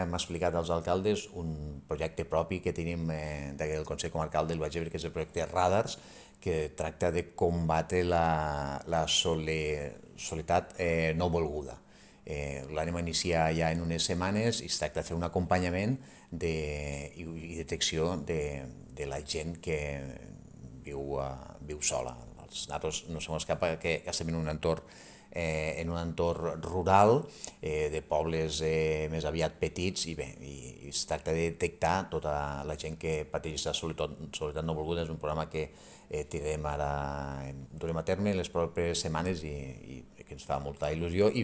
Hem explicat als alcaldes un projecte propi que tenim del Consell Comarcal del Baix Ebre, que és el projecte Radars, que tracta de combatre la soledat no volguda. L'anem a iniciar ja en unes setmanes i es tracta de fer un acompanyament i detecció de la gent que viu sola. Nosaltres no som escapa que estem en un entorn rural, de pobles més aviat petits, i bé, es tracta de detectar tota la gent que pateix la soledat no volguda. És un programa que durem a terme les properes setmanes i que ens fa molta il·lusió, i